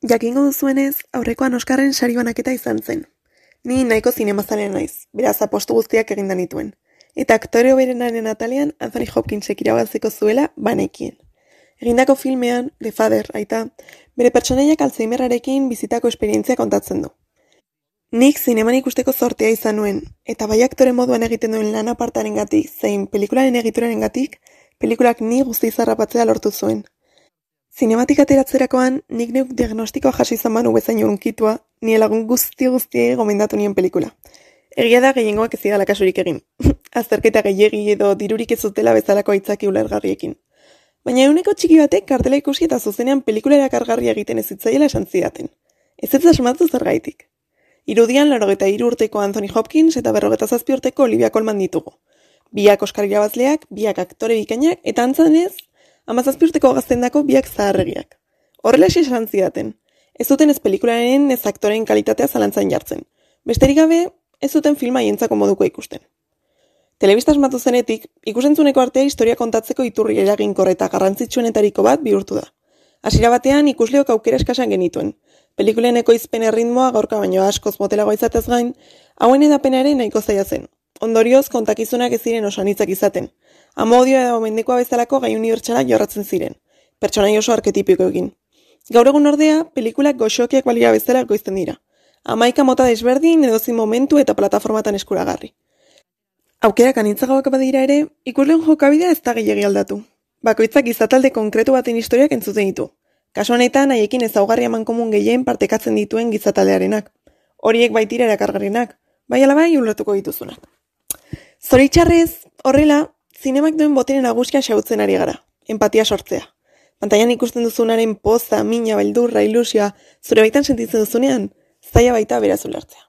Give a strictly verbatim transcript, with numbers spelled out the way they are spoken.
Jakingo duzuenez, aurrekoan Oskarren sari banaketa izan zen. Ni nahiko zinemazalean naiz, beraz apostu guztiak eginda nituen. Eta aktore hoberenaren atalean Anthony Hopkinsek irabaziko zuela banekien. Egindako filmean, The Father, aita, bere pertsonaiak Alzheimerrarekin bizitako esperientzia kontatzen du. Nik zineman ikusteko zortea izan nuen, eta bai aktore moduan egiten duen lan apartarengatik zein pelikularen egiturarengatik, pelikulak ni guzti zarrapatzea lortu zuen. Zinematik ateratzerakoan, nik neuk diagnostikoa jasi izan banu bezain urunkitua, ni lagun guzti guztiei gomendatu nien pelikula. Egia da gehiengoak ez zidala kasurik egin. Azterketa gehiegi edo dirurik ez zutela bezalako aitzaki ulergarriekin. Baina euneko txiki batek kartela ikusi eta zuzenean pelikula erakargarria egiten ez zitzaiela esan zidaten. Ez ez asmatu zergaitik. Irudian laurogeita hiru urteko Anthony Hopkins eta berrogeita zazpi urteko Olivia Colman ditugu. Biak Oskar irabazleak, biak aktore bikainak eta antzanez, hamazazpi urteko gaztendako biak zaharregiak. Horrelaxe esan zidaten. Ez zuten ez pelikularen ez aktoren kalitatea zalantzan jartzen. Besterik gabe, ez zuten filma hientzako moduko ikusten. Telebista asmatu zenetik, ikusentzuneko artea historia kontatzeko iturri eraginkor eta garrantzitsuenetariko bat bihurtu da. Hasiera batean ikusleok aukera eskasan genituen. Pelikulen ekoizpen erritmoa gaurka baino askoz motelagoa izatez gain, hauen edapena ere nahiko zaila zen. Ondorioz, kontakizunak ez ziren oso anitzak izaten. Amodio edo mendekoa bezalako gai unibertsalak jorratzen ziren. Pertsonai oso arketipiko egin. Gaur egun ordea, pelikulak goxokiak balira bezala ekoizten dira. Hamaika mota desberdin edozin momentu eta plataformatan eskuragarri. Aukerak anitzagagoak badira ere, ikusleen jokabidea ez da gehiegi aldatu. Bakoitzak izatalde konkretu baten historiak entzuten ditu. Kasu honetan, haiekin ezaugarri amankomun gehien partekatzen dituen gizataldearenak. Horiek baitira erakargarrienak, bai ala bai ulertuko dituzunak. Zoritxarrez, horrela, zinemak duen botere nagusia xahutzen ari gara, empatia sortzea. Pantailan ikusten duzunaren poza, mina, beldurra, ilusioa, zure baitan sentitzen duzunean, zaila baita beraz ulertzea.